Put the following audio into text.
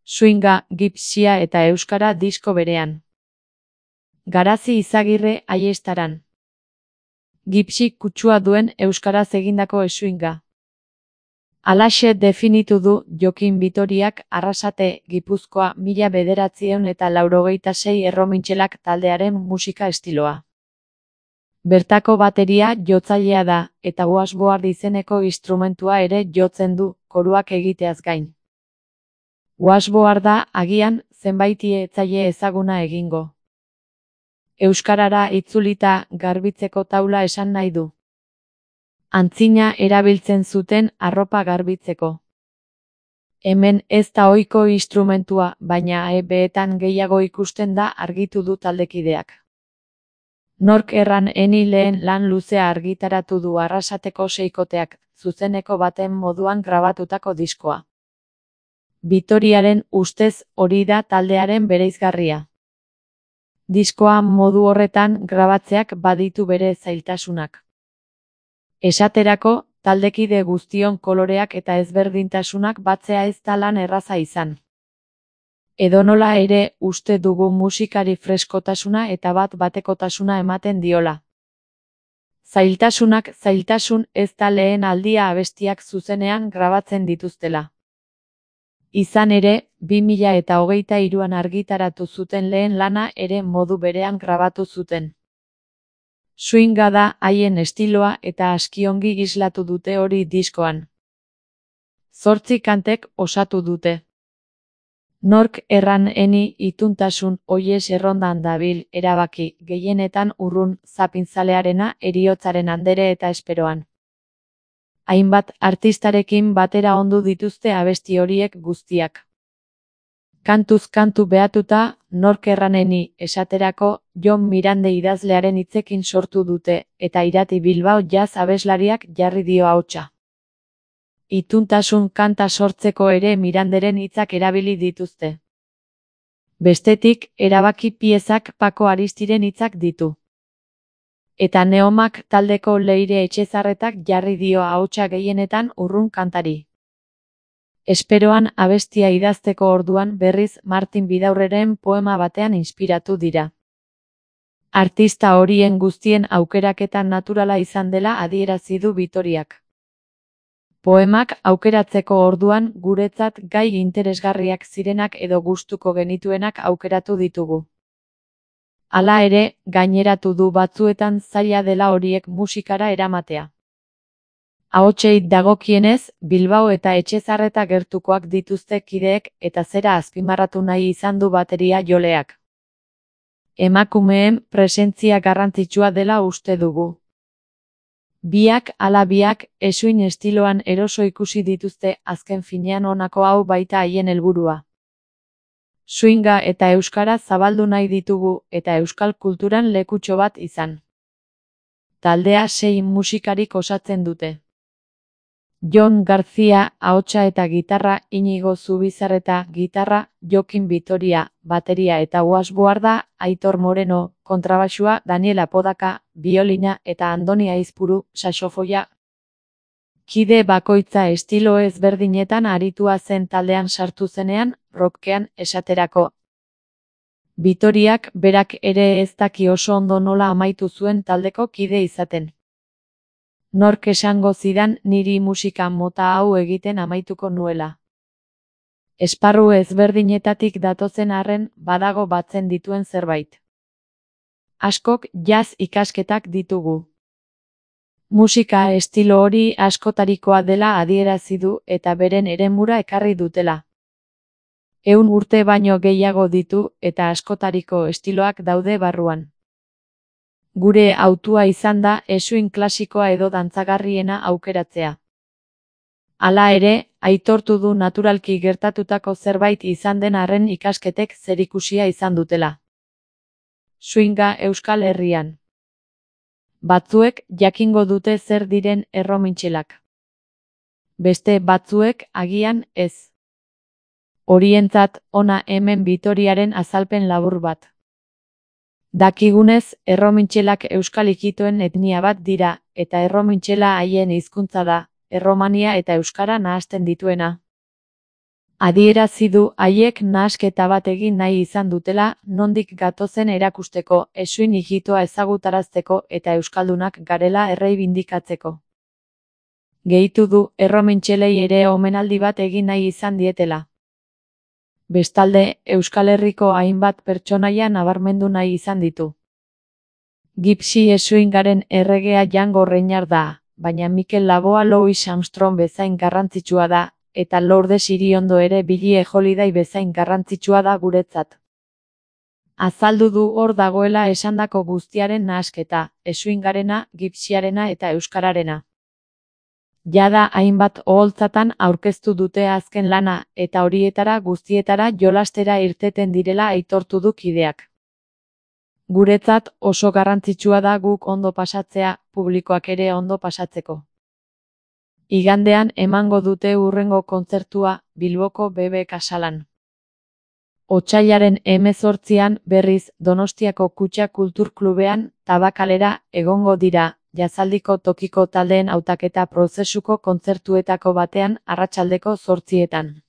Swinga, gipsia eta euskara disko berean. Garazi Izagirre Aiestaran. Gipsi kutsua duen euskaraz egindako swinga. Halaxe definitu du Jokin Bitoriak Arrasate, Gipuzkoa 1986 erromintxelak taldearen musika estiloa. Bertako bateria jotzailea da, eta washboard izeneko instrumentua ere jotzen du, koruak egiteaz gain. Washboarda agian zenbaiti etzaile ezaguna egingo. Euskarara itzulita garbitzeko taula esan nahi du. Antzina erabiltzen zuten arropa garbitzeko. Hemen ez da ohiko instrumentua, baina EB-etan gehiago ikusten da argitu du taldekideak. Nork erran eni lehen lan luzea argitaratu du Arrasateko seikoteak, zuzeneko baten moduan grabatutako diskoa. Bitoriaren ustez hori da taldearen bereizgarria. Diskoa modu horretan grabatzeak baditu bere zailtasunak. Esaterako, taldekide guztion koloreak eta ezberdintasunak batzea ez da lan erraza izan. Edonola ere, uste dugu musikari freskotasuna eta bat-batekotasuna ematen diola. Zailtasunak zailtasun ez da lehen aldia abestiak zuzenean grabatzen dituztela. Izan ere, 2023an argitaratu zuten lehen lana ere modu berean grabatu zuten. Swinga da haien estiloa eta askiongi islatu dute hori diskoan. 8 kantek osatu dute. Nork erran eni ituntasun oiez errondan dabil erabaki, gehienetan urrun zapintzalearena heriotzaren andere eta esperoan. Hainbat artistarekin batera ondu dituzte abesti horiek guztiak. Kantuz kantu behatuta, nork erraneni esaterako Jon Mirande idazlearen hitzekin sortu dute, eta Irati Bilbao jazz abeslariak jarri dio ahotsa. Ituntasun kanta sortzeko ere Miranderen hitzak erabili dituzte. Bestetik, erabaki piezak Pako Aristiren hitzak ditu. Eta Neomak taldeko Leire Etxezarretak jarri dio ahotsa gehienetan urrun kantari. Esperoan abestia idazteko orduan berriz Martin Bidaurreren poema batean inspiratu dira. Artista horien guztien aukeraketa naturala izan dela adierazi du Bitoriak. Poemak aukeratzeko orduan guretzat gai interesgarriak zirenak edo gustuko genituenak aukeratu ditugu. Hala ere, gaineratu du batzuetan zaila dela horiek musikara eramatea. Ahotsei dagokienez, Bilbao eta Etxezarreta gertukoak dituzte kideek eta zera azpimarratu nahi izan du bateria joleak. Emakumeen presentzia garrantzitsua dela uste dugu. Biak ala biak swing estiloan eroso ikusi dituzte, azken finean honako hau baita haien helburua. Swinga eta euskara zabaldu nahi ditugu eta euskal kulturan lekutxo bat izan. Taldea 6 musikarik osatzen dute. Jon García, ahotsa eta gitarra, Inigo Zubizarreta, gitarra, Jokin Bitoria, bateria eta washboarda, Aitor Moreno, kontrabaxua, Daniel Apodaka, biolina eta Andoni Aizpuru, saxofoia. Kide bakoitza estilo ezberdinetan aritua zen taldean sartu zenean, rockean esaterako. Bitoriak berak ere ez daki oso ondo nola amaitu zuen taldeko kide izaten. Nork esango zidan niri musika mota hau egiten amaituko nuela. Esparru ezberdinetatik datozen arren badago batzen dituen zerbait. Askok jazz ikasketak ditugu. Musika estilo hori askotarikoa dela adierazi du eta beren eremura ekarri dutela. 100 urte baino gehiago ditu eta askotariko estiloak daude barruan. Gure hautua izan da swing klasikoa edo dantzagarriena aukeratzea. Hala ere, aitortu du naturalki gertatutako zerbait izan den arren ikasketek zerikusia izan dutela. Swinga Euskal Herrian. Batzuek jakingo dute zer diren erromintxelak. Beste batzuek agian ez. Horientzat hona hemen Bitoriaren azalpen labur bat. Dakigunez, erromintxelak euskal ikitoen etnia bat dira, eta erromintxela haien hizkuntza da, erromania eta euskara nahasten dituena. Adierazi du haiek nahasketa bat egin nahi izan dutela, nondik gatozen erakusteko, eskuin ijitoa ezagutarazteko eta euskaldunak garela erreibindikatzeko. Gehitu du, erromentxelei ere omenaldi bat egin nahi izan dietela. Bestalde, Euskal Herriko hainbat pertsonaia nabarmendu nahi izan ditu. Gypsy eskuingaren erregea Django Reinhardt da, baina Mikel Laboa Louis Armstrong bezain garrantzitsua da, eta Lourdes Iriondo ere Billie Holiday bezain garrantzitsua da guretzat. Azaldu du hor dagoela esandako guztiaren nahasketa, eskuingarena, Gypsyarena eta euskararena. Jada hainbat oholtzatan aurkeztu dute azken lana, eta horietara guztietara jolastera irteten direla aitortu du kideak. Guretzat oso garrantzitsua da guk ondo pasatzea, publikoak ere ondo pasatzeko. Igandean emango dute hurrengo kontzertua, Bilboko BB Kasalan. Otsailaren 18an berriz Donostiako Kutxa Kulturklubean, Tabakalera, egongo dira, jazaldiko tokiko taldeen hautaketa prozesuko kontzertuetako batean arratsaldeko 8etan.